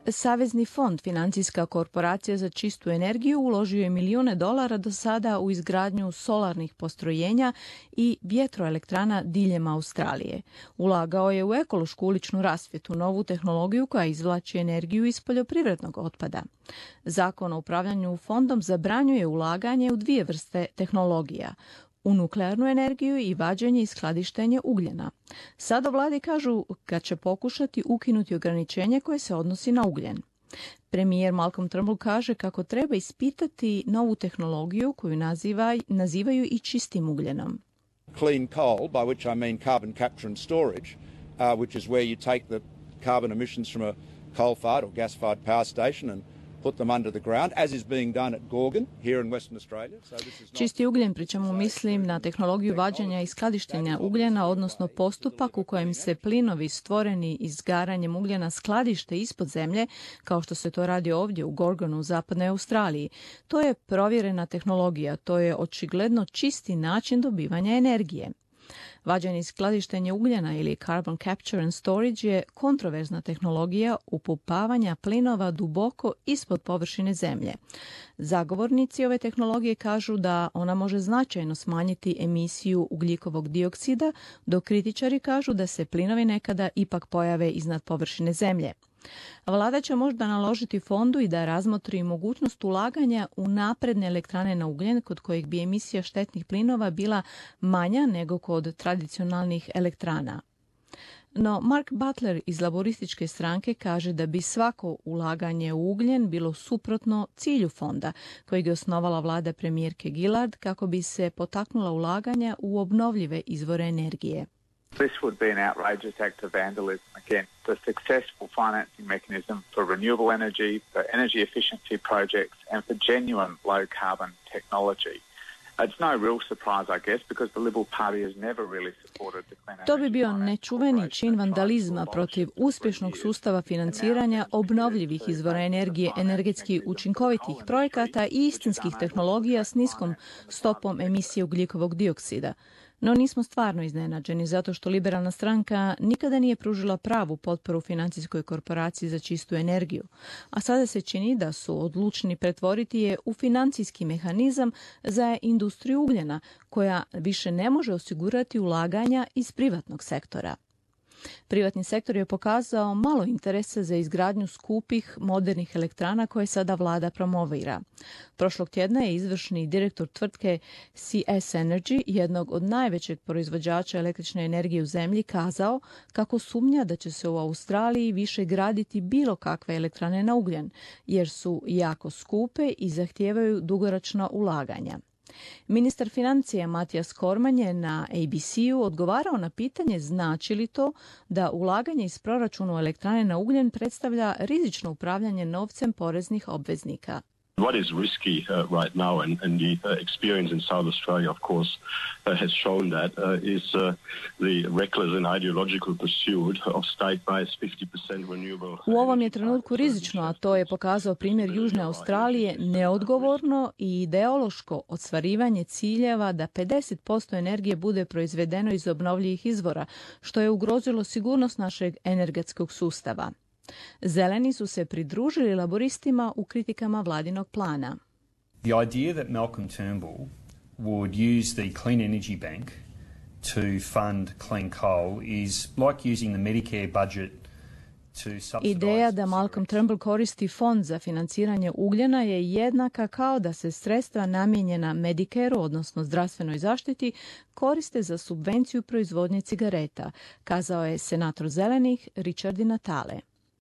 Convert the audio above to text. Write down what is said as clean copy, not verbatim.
Savezni fond, financijska korporacija za čistu energiju, uložio je milijune dolara do sada u izgradnju solarnih postrojenja i vjetroelektrana diljem Australije. Ulagao je u ekološku uličnu rasvjetu, novu tehnologiju koja izvlači energiju iz poljoprivrednog otpada. Zakon o upravljanju fondom zabranjuje ulaganje u dvije vrste tehnologija, u nuklearnu energiju i vađenje i skladištenje ugljena. Sada vladi kažu kad će pokušati ukinuti ograničenje koje se odnosi na ugljen. Premijer Malcolm Turnbull kaže kako treba ispitati novu tehnologiju koju nazivaju i čistim ugljenom. Clean coal, by which I mean carbon capture and storage, which is where you take the carbon emissions from a coal-fired or gas-fired power station and put them under the ground, as is being done at Gorgon here in Western Australia. Čisti ugljen, pri čemu mislim na tehnologiju vađenja i skladištenja ugljena, odnosno postupak u kojem se plinovi stvoreni izgaranjem ugljena skladište ispod zemlje, kao što se to radi ovdje u Gorgonu u zapadnoj Australiji. To je provjerena tehnologija, to je očigledno čisti način dobivanja energije. Vađenje i skladištenje ugljena ili carbon capture and storage je kontroverzna tehnologija upumpavanja plinova duboko ispod površine zemlje. Zagovornici ove tehnologije kažu da ona može značajno smanjiti emisiju ugljikovog dioksida, dok kritičari kažu da se plinovi nekada ipak pojave iznad površine zemlje. Vlada će možda naložiti fondu i da razmotri mogućnost ulaganja u napredne elektrane na ugljen kod kojih bi emisija štetnih plinova bila manja nego kod tradicionalnih elektrana. No Mark Butler iz laborističke stranke kaže da bi svako ulaganje u ugljen bilo suprotno cilju fonda, kojeg je osnovala vlada premijerke Gillard kako bi se potaknula ulaganja u obnovljive izvore energije. This would be an outrageous act of vandalism against the successful financing mechanism for renewable energy, for energy efficiency projects and for genuine low-carbon technology. It's no real surprise, I guess, because the Liberal Party has never really supported the clean energy. To bi bio nečuveni čin vandalizma protiv uspješnog sustava financiranja obnovljivih izvora energije, energetski učinkovitih projekata i istinskih tehnologija s niskom stopom emisije ugljikovog dioksida. No nismo stvarno iznenađeni zato što liberalna stranka nikada nije pružila pravu potporu financijskoj korporaciji za čistu energiju, a sada se čini da su odlučni pretvoriti je u financijski mehanizam za industriju ugljena koja više ne može osigurati ulaganja iz privatnog sektora. Privatni sektor je pokazao malo interesa za izgradnju skupih modernih elektrana koje sada vlada promovira. Prošlog tjedna je izvršni direktor tvrtke CS Energy, jednog od najvećeg proizvođača električne energije u zemlji, kazao kako sumnja da će se u Australiji više graditi bilo kakve elektrane na ugljen, jer su jako skupe i zahtijevaju dugoročna ulaganja. Ministar financija Matijas Cormann je na ABC-u odgovarao na pitanje znači li to da ulaganje iz proračuna u elektrane na ugljen predstavlja rizično upravljanje novcem poreznih obveznika. What is risky right now, and the experience in South Australia, of course, has shown that, is the reckless and ideological pursuit of state-based 50% renewable. U ovom je trenutku rizično, a to je pokazao primjer Južne Australije, neodgovorno i ideološko ostvarivanje ciljeva da 50% energije bude proizvedeno iz obnovljivih izvora, što je ugrozilo sigurnost našeg energetskog sustava. Zeleni su se pridružili laboristima u kritikama vladinog plana. The idea that Malcolm Turnbull would use the Clean Energy Bank to fund clean coal is like using the Medicare budget. Ideja da Malcolm Turnbull koristi fond za financiranje ugljena je jednaka kao da se sredstva namijenjena Medicareu, odnosno zdravstvenoj zaštiti, koriste za subvenciju proizvodnje cigareta, kazao je senator zelenih Richard Di Natale.